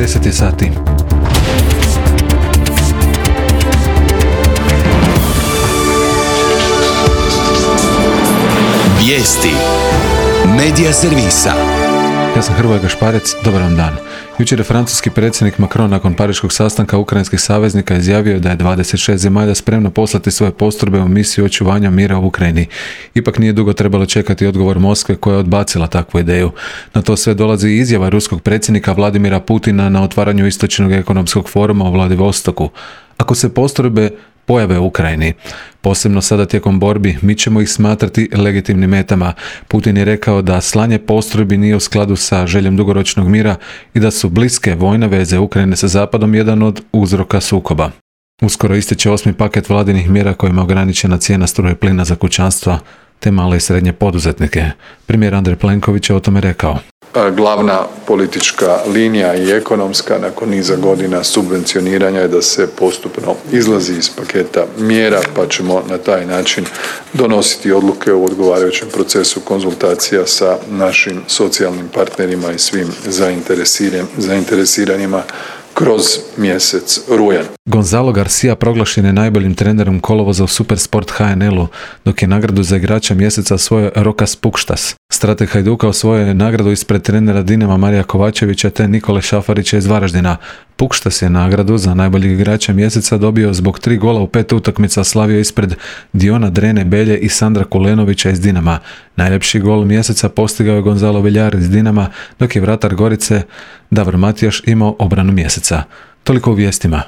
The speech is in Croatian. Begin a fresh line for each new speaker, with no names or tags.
10 je sati.
Vijesti Medija servisa.
Ja sam Hrvoje Gašparec, dobar vam dan. Jučer je francuski predsjednik Macron nakon pariškog sastanka ukrajinskih saveznika izjavio da je 26 zemalja spremno poslati svoje postrojbe u misiju očuvanja mira u Ukrajini. Ipak nije dugo trebalo čekati odgovor Moskve koja je odbacila takvu ideju. Na to sve dolazi izjava ruskog predsjednika Vladimira Putina na otvaranju istočnog ekonomskog foruma u Vladivostoku. Ako se postrojbe pojave u Ukrajini, posebno sada tijekom borbi, mi ćemo ih smatrati legitimnim metama. Putin je rekao da slanje postrojbi nije u skladu sa željom dugoročnog mira i da su bliske vojne veze Ukrajine sa Zapadom jedan od uzroka sukoba. Uskoro ističe 8. paket vladinih mjera kojima je ograničena cijena struje i plina za kućanstva te male i srednje poduzetnike. Premijer Andrej Plenković je o tome rekao.
Glavna politička linija i ekonomska nakon niza godina subvencioniranja je da se postupno izlazi iz paketa mjera, pa ćemo na taj način donositi odluke u odgovarajućem procesu konzultacija sa našim socijalnim partnerima i svim zainteresiranima kroz mjesec rujan.
Gonzalo Garcia proglašen je najboljim trenerom kolovoza u Supersport HNL-u, dok je nagradu za igrača mjeseca osvojio Rokas Pukštas. Strateg Hajduka osvojio je nagradu ispred trenera Dinama Marija Kovačevića te Nikole Šafarića iz Varaždina. Pukštas je nagradu za najboljeg igrača mjeseca dobio zbog 3 gola u 5 utakmica, slavio ispred Diona Drene Belje i Sandra Kulenovića iz Dinama. Najljepši gol mjeseca postigao je Gonzalo Villar iz Dinama, dok je vratar Gorice Davor Matijaš imao obranu mjeseca. Toliko u vijestima.